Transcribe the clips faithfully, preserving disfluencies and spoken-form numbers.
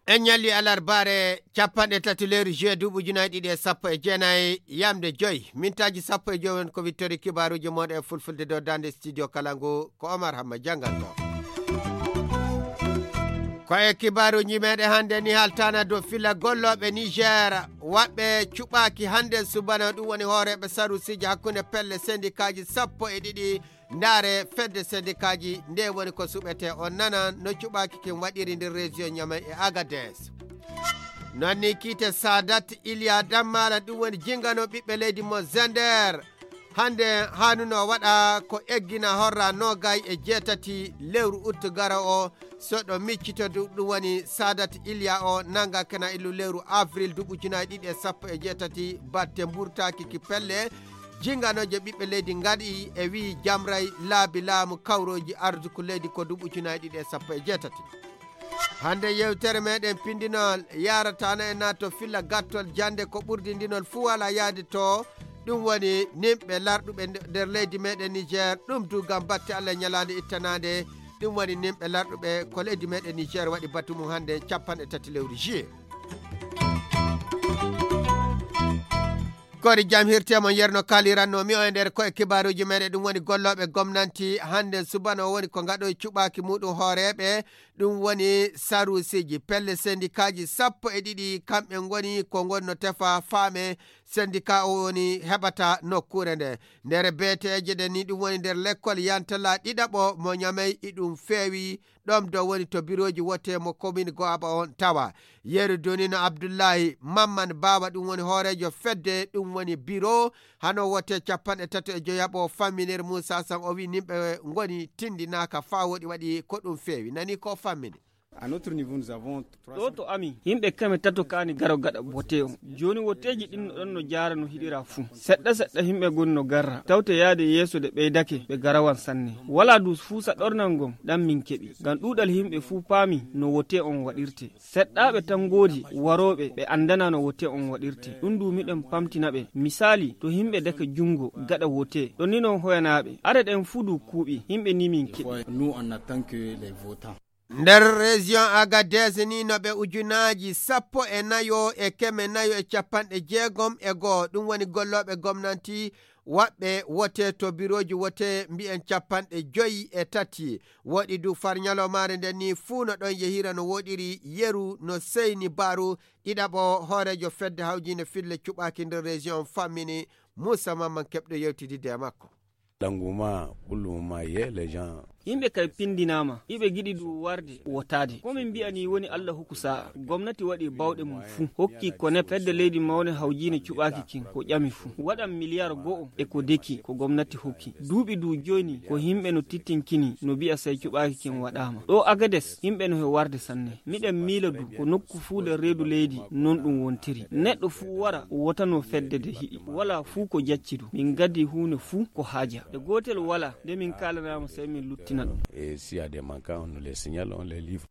En ñalli alarbaare capanɗe tati lewru juillet duuɓi ujunaaji ɗiɗi e sappo e jeenayi, yamde joy mintaaji sappo e joy. Won ko wittori kibaaruuji mooɗon e fulfulde dow daande studio kala ngu, ko Omar Hamma jannganto. Ko e kibaaruuji meɗen hannde ni, haltaana dow filla gollooɓe Niger, waɓɓe cuɓaaki hannde subana, ɗum woni hooreeɓe sarusiiji hakkunde pelle sendikaaji sappo e ɗiɗi. Ndaare fedde sendikaaji nde woni ko suɓete, on nana no cuɓaaki kin waɗiri nder région Niamey e Agadez. Non ni kiite Sadat Iliya Dammala, ɗum woni jingano ɓiɓɓe leydi mo Zender. Hannde haanuno waɗa ko eggina horra nogay e jeetati lewru ut garo o. So ɗo miccito du-, ɗum woni Sadat Iliya o nanga kena illu lewru avril duuɓi ujunaaji ɗiɗi e sappo e jeetati, batte mburtaaki ki pelle jinganooje ɓiɓɓe leydi ngaɗi e wi'i jamray laabi laamu kawrooji arduku leydi ko duuɓi ujunaaji ɗiɗi e sappo e jeetati. Hannde yewtere meɗen pindinol yarataano e nato filla gattol jannde ko ɓurdindinol fuu wala yaade to. Ɗum woni nimɓe larɗuɓe nde-, nder leydi meɗen Niger, ɗum du ngam batte Allah ñalaande ittanaande. Ɗum woni nimɓe larɗuɓe ko leydi meɗen Niger waɗi batu mum hannde capanɗe tati lewru juillet. Kori jam hirte mon yerno kaliranno mi o e nder koye kibaaruuji meɗen, ɗum woni gollooɓe gomnanti hannde subano woni ko ngaɗo e cuɓaaki muɗum hooreeɓe, ɗum woni sarusiiji pelle sendikaaji sappo e ɗiɗi, kamɓe ngoni ko ngoni no tefa faame sendika o woni heɓata nokkuure nde. Nder beeteeje ɗen ni ɗum woni nder lekkol yantala ɗiɗaɓo mo Ñamey, iɗum feewi ɗom do woni to birooji wote mo komin Go'aba on tawa. Yeru duni no Abdullahi Mamman Baaba, ɗum woni hooreejo fedde, ɗum woni biro hano wote capanɗe tati e joyaɓo famminir Muusa San, o wi nimɓe ngoni tindinaaka faa woɗi waɗi ko ɗum feewi. Nani ko fammini. À notre niveau, nous avons trois cents. Ɗo to amin, yimɓe keme tato kaani garo gaɗa wote on. Jooni woteeji ɗin no ɗon no jaara no hiɗira fuu. Seɗɗa seɗɗa yimɓe ngoni no garra. Tawte yaade yeeso de ɓeydake, ɓe garawan sanne. Walaa dus fuu sa ɗornan ngon, ɗan min keɓi. Ngam ɗuuɗal yimɓe fuu paami no wote on waɗirte. Seɗɗaaɓe tan ngoodi warooɓe ɓe anndana no wote on waɗirte. Ɗum du miɗen pamtina ɓe. Misaali, to yimɓe dake junngo gaɗa wote, ɗon ni non hoyanaaɓe. Are ɗen fuu du kuuɓi, yimɓe ni min keɓi. Nous, on attend que les votants. Nder région Agadez ni no ɓe ujunaaji sappo e nayo e keme nayo e capanɗe jeegom e goo, ɗum woni gollooɓe gomnanti waɓɓe wote to birooji wote mbiyen capanɗe joyi e tati. Woɗi du far ñalomaare nden ni fuu no ɗon yehira no woɗiri yeru no seyni baaru ɗiɗaɓo hooreejo fedde hawjiinde fille cuɓaaki nder région fammini Muusa Mamman keɓɗo yewtididde e makko. L'engouement, pour le moment, y est, les gens. Yimɓe kay pindinaama, iɓe giɗi du warde wotaade. Ko min mbi'a ni woni Allah hokku sa'a. Gomnati waɗi bawɗe mum fuu. Hokki ko ne fedde leydi mawne hawjiine cuɓaaki kin ko ƴami fuu. Waɗan miliyar go'o e ko deki ko gomnati hokki. Duuɓi du jooni ko yimɓe no tittinkini no mbi'a sey cuɓaaki kin waɗaama. Ɗo Agades, yimɓe no he warde sanne. Miɗen miila du ko nokku fuu nder reedu leydi non ɗum wontiri. Neɗɗo fuu wara wotano fedde de hiɗi. Walaa fuu ko jacci du. Min ngaddi huunde fuu ko haaja. E gootel walaa nde min kaalanaama sey min luttina ɗum. Et s'il y a des manquants, on nous les signale, on les livre.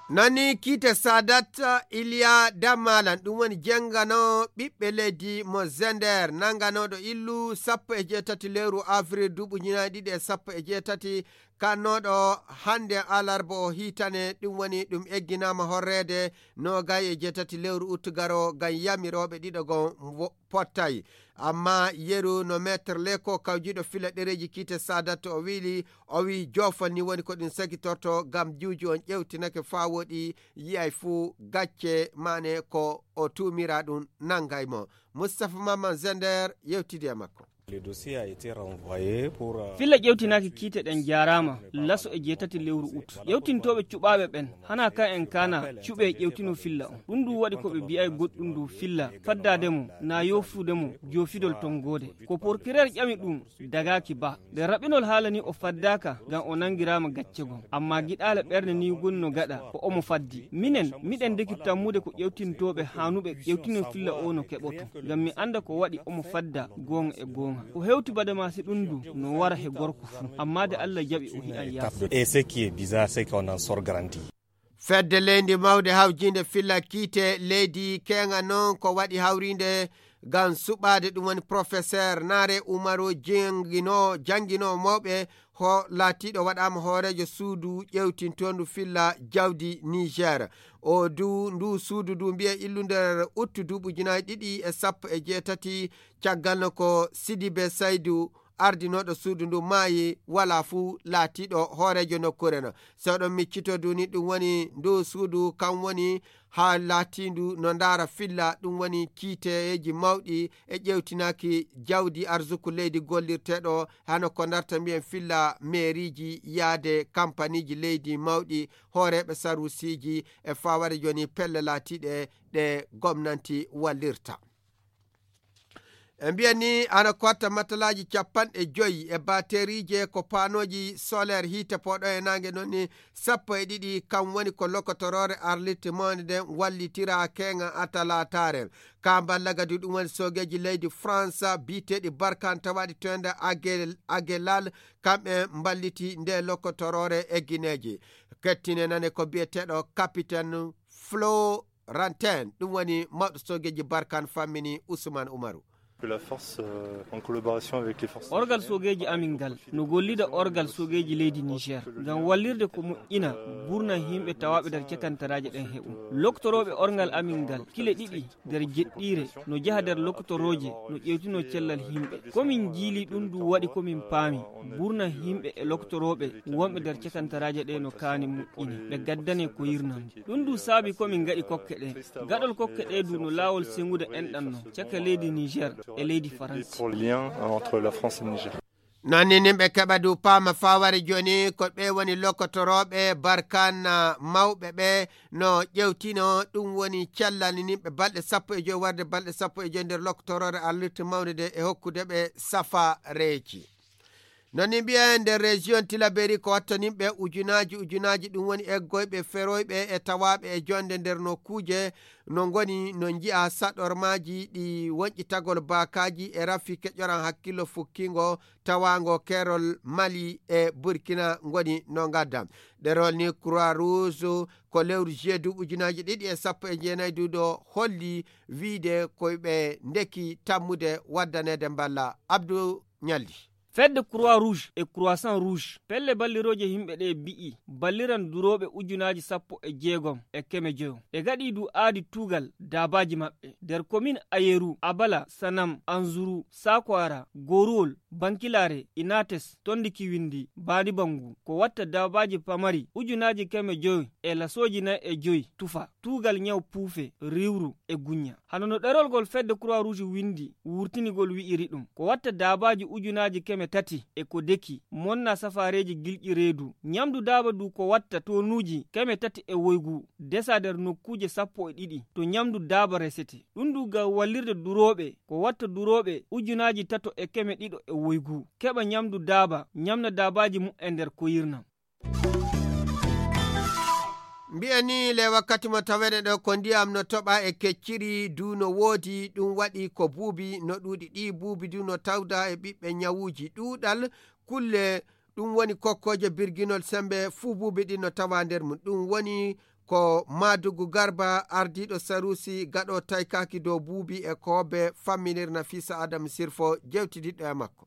Nani kiite Sadat Iliya Damalan, ɗum woni jengano ɓiɓɓe leydi mo Zender, nanganooɗo illu sappo e jeetati lewru avril duuɓi ujunaaji ɗiɗi e sappo e jeetati, kannooɗo hannde alarba o hiitane, ɗum woni ɗum egginaama horreede noogay e jeetati lewru ut garo ngam yamirooɓe ɗiɗo gon wo-, pottay. Amma yeru no Maître Leko kawjiɗo fila ɗereeji kiite Sadat o wiili, o wii joofol ni woni ko ɗum sagitorto ngam juuju on ƴewtinake faa woɗi yi'ay fuu gacce maane ko o tuumira ɗum nangay mo. Moustapha Maman Zender yewtidi e makko. Le dossier a été renvoyé pour, euh, Filla ƴewtinaaki kiite ɗen jaaraama laso e jeetati lewru ut. Ƴewtintooɓe cuɓaaɓe ɓen, hanaa kan en kaana cuɓee ƴewtino filla on. Ɗum du waɗi ko ɓe mbi'ay goɗɗum du filla, faddaade mo, naa yoofude mo, joofidol tonngoode. Ko porkireer ƴami ɗum, dagaaki ba. Nde raɓinol haala ni o faddaaka, ngam o nanngiraama gacce gom. Ammaa giɗaale ɓernde ni woni no gaɗa, ko omo faddi. Minen, miɗen ndeki tammude ko ƴewtintooɓe haanuɓe ƴewtino filla o no keɓoto. Ngam mi annda ko waɗi omo fadda goonga e goonga. Ko hewti bade ma si ɗum du no wara he gorko fuu. Ammaa de Allah jaɓi o hi'an yaasi. Et ce qui est bizarre, c'est qu'on en sort grandi. Fedde leydi mawde hawjinde filla kiite leydi keeŋa noon ko waɗi hawrinde ngam suɓaade ɗum woni professeur Naare Umaru janngino, janngino mawɓe ho laatiiɗo waɗaama hooreejo suudu ƴeewtintoondu filla jawdi Niger. O du, ndu suudu ndu mbiye illu nder uttu duuɓi ujunaaji ɗiɗi e sappo e jeetati caggal no ko Sidibe Saydu ardinooɗo suudu ndu maayi, walaa fuu laatiiɗo hooreejo nokkuure no. So oɗon miccito du ni ɗum woni ndu suudu kam woni haa laatiindu no ndaara filla ɗum woni kiiteeji mawɗi e ƴeewtinaaki jawdi arsuku leydi gollirteeɗo hano ko ndarta mbiyen filla meeriiji yaade kampaniiji leydi mawɗi hooreeɓe saruusiiji e fawaade jooni pelle laatiiɗe ɗe gomnanti wallirta. E mbiya ni ana kotta matalaaji capanɗe joyi e bateriije ko paanooji solaire hiite pooɗo e naange noon ni sappo e ɗiɗi kam woni ko lokotoroore arlitte mawne nden wallitira keeŋa atalataare. Ka mballa gadi ɗum woni soogeeji leydi France biyeteeɗi Barkan tawaaɗi toynde Agelal, kamɓe mballiti nde lokotoroore e gineeji. Kettine nane ko biyeteeɗo capitaine Florentin, ɗum woni mawɗo soogeeji Barkan fammini Usman Umaru. La force, euh, en collaboration avec les forces. Orgal soogeeji amin ngal no gollida orgal soogeeji leydi Niger ngam wallirde ko moƴƴina burna yimɓe tawaaɓe nder cakantaraaje ɗen heɓum. Loktorooɓe orgal amin ngal kile ɗiɗi nder jeɗɗiire no jaha nder lokotorooje no ƴeewtino cellal yimɓe. Komin jiili ɗum du waɗi komin paami burna yimɓe e loktorooɓe wonɓe nder cakantaraaje ɗe no kaani moƴƴine ɓe gaddane ko yirnam. Ɗum du saabi komin ngaɗi kokke ɗe. Gaɗol kokke ɗe du no laawol sengude enɗan no caka leydi Niger e leydi Faransi. Pour le lien entre la France et le Niger. Noon ni nimɓe keɓa du paama faware jooni ko ɓe woni lokotorooɓe Barkan mawɓe ɓe no ƴewtino ɗum woni cellal nimɓe balɗe sappo e joy warde balɗe sappo e joy nder lokotoroore arlirte mawnde nde e hokkude ɓe safareeji. Noon ni mbiyen nder région Tilaberi ko watta nimɓe ujunaaji ujunaaji ɗum woni eggoyɓe feroyɓe e tawaaɓe e jonde nder nokkuuje no ngoni no nji'a saɗormaaji ɗi woñƴitagol baakaaji e rafi keƴoran hakkillo fukkingo tawaango keerol Mali e Burkina ngoni no ngadda. Ɗerol ni Croix Rouge ko lewru juillet duuɓi ujunaaji ɗiɗi e sappo e jeenayi duuɗo holli wiide koyɓe ndeki tammude waddaneede mballa. Abdou Ñalli. Fedde Croix Rouge e Croissant Rouge pelle ballirooje yimɓe ɗe mbi'i balliran durooɓe ujunaaji sappo e jeegom e keme joyo. Ɓe gaɗi du aadi tuugal daabaaji maɓɓe nder komin Ayeru, Abala, Sanam, Anzuru, Sakwara, Goruwol, Bankilaare, Inates, Tondi Kiwindi, Baadi Bangu, ko watta daabaaji pamari ujunaaji keme joyo e lasooji nayi e joyi tufa, tuugal ñaw puufe, riwru e guñña. Hano no ɗerol ngol fedde Croix Rouge windi wurtinigol wi'iri ɗum, ko watta daabaaji ujunaaji keme tati e ko deki, monna safaareeji gilƴi reedu, ñamdu daaba du ko watta tonuuji keme tati e woygu, desa nder nokkuuje sappo e ɗiɗi, to ñamdu daaba resete. Ɗum du ngam wallirde durooɓe, ko watta durooɓe ujunaaji tato e keme ɗiɗo e woygu, keɓa ñamdu daaba, ñamna daabaaji mu'en nder koyirnam. Mbiyen ni le wakkati mo taweɗen ɗo ko ndiyam no toɓa e kecciri du no woodi, ɗum waɗi ko buubi no ɗuuɗi. Ɗi buubi du no tawda e ɓiɓɓe ñawuuji ɗuuɗal kulle. Ɗum woni kokkooje birginol sembe fuu buubi ɗi no tawa nder mum. Ɗum woni ko Maadugu Garba, ardiiɗo Saruusi gaɗo taykaaki dow buubi e koobbe famminir Nafisa Adam Sirfo jewtidiɗɗo e makko.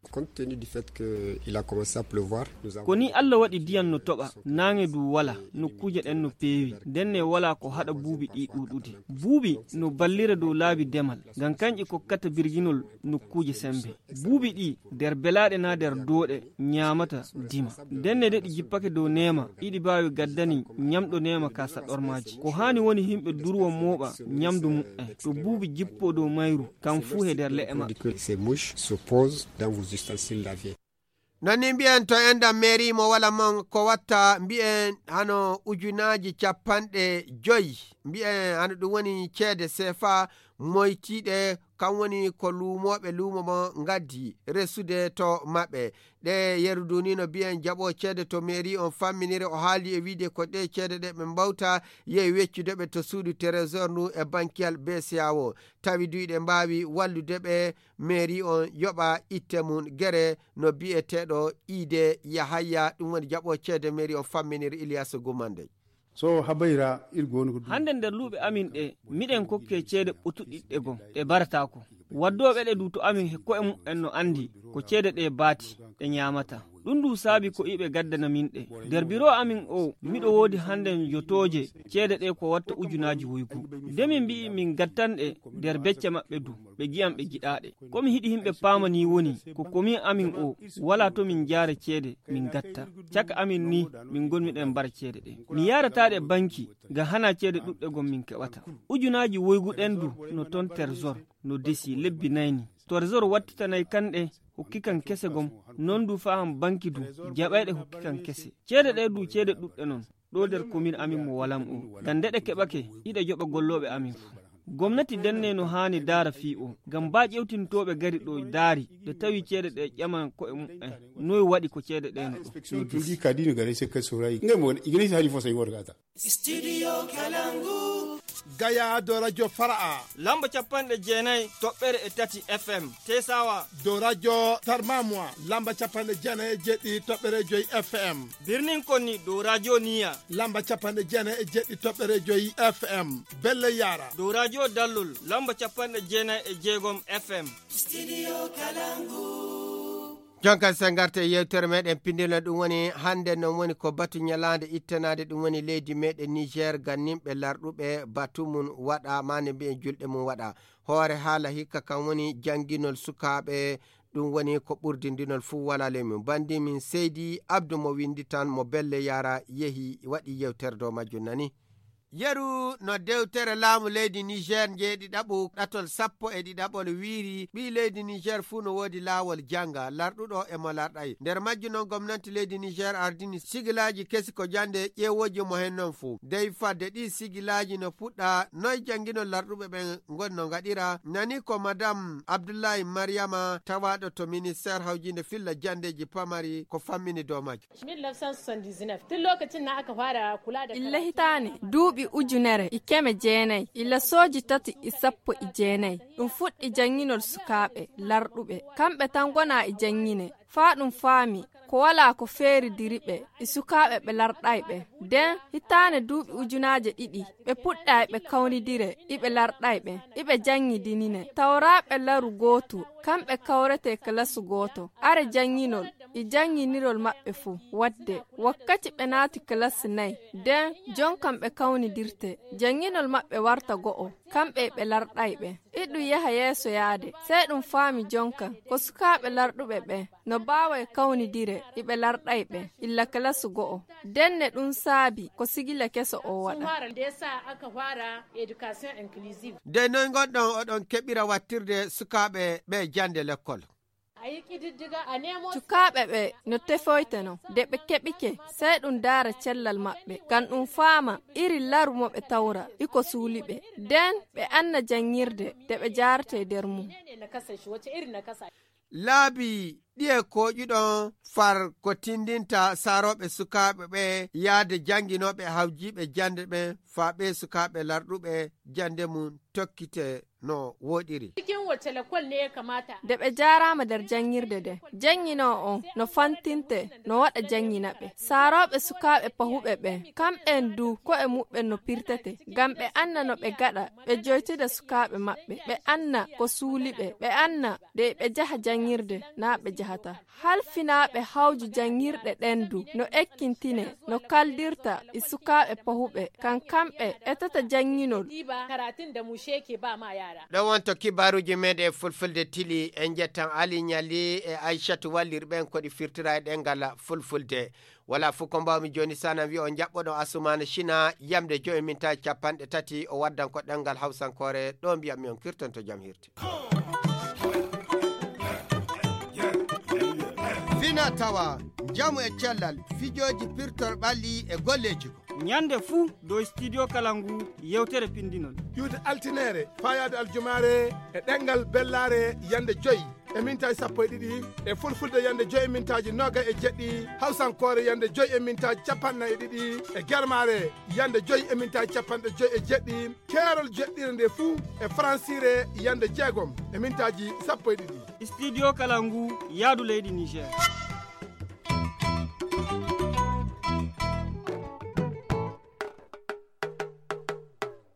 Compte tenu du fait que il a commencé à pleuvoir, nous avons... Ko ni Allah waɗi diyan no toɓa, naange du wala, nokkuuje ɗen no peewi, ndenne wala ko haɗa buubi ɗi ɗuuɗude. Buubi no ballira dow laabi demal, ngam kanƴe kokkata birginol nokkuuje sembe. Buubi ɗi nder belaaɗe na nder dooɗe ñaamata dima. Ndenne de ɗi jippake dow neema, iɗi baawi gaddani ñamɗo neema ka saɗormaaji. Ko haani woni yimɓe durwo mooɓa ñamdu mu'en, to buubi jippo dow mayru, kam fuu he nder le'e maɓɓe. Que ces mouches se posent dans vos ustensiles laviers. Noon ni mbiyen to enɗam mairie mo wala mon ko watta mbiyen hano ujunaaji capanɗe joyi, mbiyen hano ɗum woni ceede sefa moytiiɗe, kam woni ko luumooɓe luumo mo ngaddi resude to maɓɓe. Ɗe yeru du ni no mbiyen jaɓo ceede to mairie on famminire, o haali e wiide ko ɗe ceede ɗe ɓe mbawta yehi weccude ɓe to suudu trésor ndu e bankiyal B C A O. Tawi du iɗe mbaawi wallude ɓe mairie on yoɓa itte mum gere no biyeteeɗo Iide Yahaya, ɗum woni jaɓo ceede mairie on famminire Iliyasa Gumande. So habayra ir gono ko. Hande nder luuɓe amin ɗe, miɗen kokke ceede ɓotuɗiɗɗe gom, ɗe barataako. Waddooɓe ɗe du to amin he ko'e mu'en no andi ko ceede ɗe baati, ɗe nyaamata. Ɗum du saabi ko iɓe gaddana min ɗe. Nder biro amin o, miɗo woodi hande jotooje ceede ɗe ko watta ujunaaji woygu. Nde min mbi'i min gattan ɗe nder becce maɓɓe du, ɓe gi'an ɓe giɗaaɗe. Ko mi hiɗi himɓe paama ni woni, ko komin amin o, wala to min jaare ceede, min gatta. Caka amin ni, min gonmi ɗen mbara ceede ɗe. Mi yaarata ɗe banki, ga hana ceede ɗuɗɗe gom min keɓata. Ujunaaji woygu ɗen du, no ton Trésor, no desi lebbi nayni. Trésor wattitanay kanɗe, hokki kan kese gom, non du faa han banki du, jaɓayɗe hokki kan kese. Ceede ɗe du, ceede ɗuɗɗe non. Ɗo nder komin amin mo walam o. Ngam nde ɗe keɓake, iɗe joɓa gollooɓe amin fu. Gomnati denne no haani daara fii o. Ngam ba ƴewtintooɓe gari ɗo daari, ɓe tawi ceede ɗe ƴaman ko'e mu'en. Noy waɗi ko ceede ɗe no ɗo? Inspecteur du kadi no gare sekka soray. Ngam woni, igini hari fo sai worgata. Studio Kalangu. Gaya do radio Fara'a. Lamba capanɗe jeenayi toɓɓere e tati F M. Tesawa. Do radio Tarmamwa. Lamba capanɗe jeenayi e jeɗɗi toɓɓere joyi F M. Birnin Konni do radio Niya. Lamba capanɗe jeenayi e jeɗɗi toɓɓere joyi F M. Belle Yara. Do radio Dallol. Lamba capanɗe jeenayi e jeegom F M. Studio Kalangu. Jonkan sen ngarte e yewtere meɗen pindino, ɗum woni hande non woni ko batu ñalaande ittanaade, ɗum woni leydi meɗen Niger, gannimɓe larɗuɓe batu mum waɗa, maande mbiyen julɗe mum waɗa. Hoore haala hikka kan woni jannginol sukaaɓe, ɗum woni ko ɓurdindinol fuu wala ley mum. Bandi min Seydi Abdou mo winndi tan mo Belle Yara yehi waɗi yewtere dow majjum nani. Yeru no dewtere laamu leydi Niger njeeɗiɗaɓu ɗatol sappo e ɗiɗaɓol wiiri, ɓii leydi Niger fuu no woodi laawol jannga, larɗuɗo e mo larɗay. Nder majju non gomnanti leydi Niger ardini sigilaaji kesi ko jannde ƴeewooji mo hen non fuu. Dey fadde ɗii sigilaaji no puɗɗa noy jannginol larɗuɓe ɓen ngoni no ngaɗira, nani ko Madame Abdoulaye Mariama tawaaɗo to ministère hawjinde filla janndeeji pamari ko fammini dow majju. Mille neuf cent soixante-dix-neuf, tun lokacin nan aka fara kula da illa karatu. Hitaane, duuɓi ujunere e keme jeenay, illa sooji tati e sappo e jeenay. Ɗum fuɗɗi jannginol sukaaɓe larɗuɓe. Kamɓe tan ngonaa e janngine. Faa ɗum faami ko walaa ko feeridiri ɓe e sukaaɓe ɓe larɗay ɓe. Den hitaane duuɓi ujunaaje ɗiɗi, ɓe puɗɗa e ɓe kawnidire, iɓe larɗay ɓe, iɓe janngidinine. Tawraaɓe laru gootu, kamɓe kawretee kalasu gooto. Are jannginol e jannginirol maɓɓe fuu. Waɗde, wakkati ɓe naati kalasu nay, den jonkan ɓe kawnidirte. Jannginol maɓɓe warta go'o, kamɓe e ɓe larɗay ɓe. Iɗum yaha yeeso yaade, sey ɗum faami jonkan ko sukaaɓe larɗuɓe ɓe no baaway kawnidire iɓe larɗay ɓe illa kalasu go'o. Denne ɗum saabi ko sigila keso o waɗa. Sun fara da ya sa aka fara education inclusive. De noy ngonɗon oɗon keɓira wattirde sukaaɓe ɓe jannde lekkol? A yi ƙididdiga, a nemo. Sukaaɓe ɓe no tefoyteno, de ɓe keɓike, sey ɗum daara cellal maɓɓe, ngam ɗum faama iri laru mo ɓe tawra, iko suuli ɓe. Den ɓe anna janngirde, de ɓe jaartee der mum. Menene nakasar shi? Wace irin nakasa? Laabi ɗiye kooƴuɗon far ko tindinta saarooɓe sukaaɓe ɓe yaade jannginooɓe hawjiiɓe jannde ɓen, faa ɓee sukaaɓe larɗuɓe jannde mum tokkite no wooɗiri? Cikin wace lakwal ne ya kamata? De ɓe jaaraama nder janngirde de. Jannginoo on no fantinte, no waɗa janngina ɓe. Saarooɓe sukaaɓe pahuɓe ɓen, kamɓen du ko'e muɓɓen no pirtete, ngam ɓe anna no ɓe gaɗa, ɓe joytida sukaaɓe maɓɓe. Ɓe anna ko suuli ɓe, ɓe anna de ɓe jaha janngirde, naa ɓe jahata. Halfinaaɓe hawju janngirɗe ɗen du no ekkintinee no kaldirta e sukaaɓe pahuɓe, kan kamɓe etata jannginol. Ɗiba karatun da mushe ke ba ma yara. Ɗon wonto kibaaruuji meɗen e fulfulde tili, en njettan Ali Ñali e Aysatu Wallir ɓen ko ɗi firtira e ɗemngal fulfulde. Wala fuu ko mbaawmi jooni, sanan wi'a on njaɓɓoɗon Asumaana Sina, yamde joyi mintaaji capanɗe tati, o waddan ko ɗemngal hawsankoore, ɗo mbi'anmi on kirtanto jam hirti. Fina tawa, njamu e cellal, fijooji pirtor ɓalli e golleeji ko. Ñande fuu dow Studio Kalangu yewtere pinndinol. Ƴuwde altineere, faayaade aljumaare e ɗemngal bellaare yande joyi e mintaaji sappo e ɗiɗi, e fulfulde yande joyi e mintaaji noogay e jeɗɗi, hawsankoore yande joyi e mintaaji capanɗe nayi e ɗiɗi, e germaare yande joyi e mintaaji capanɗe joyi e jeɗɗi, keerol jeɗɗire nde fuu e faransiire yande jeegom e mintaaji sappo e ɗiɗi. Studio Kalangu, yaadu leydi Niger.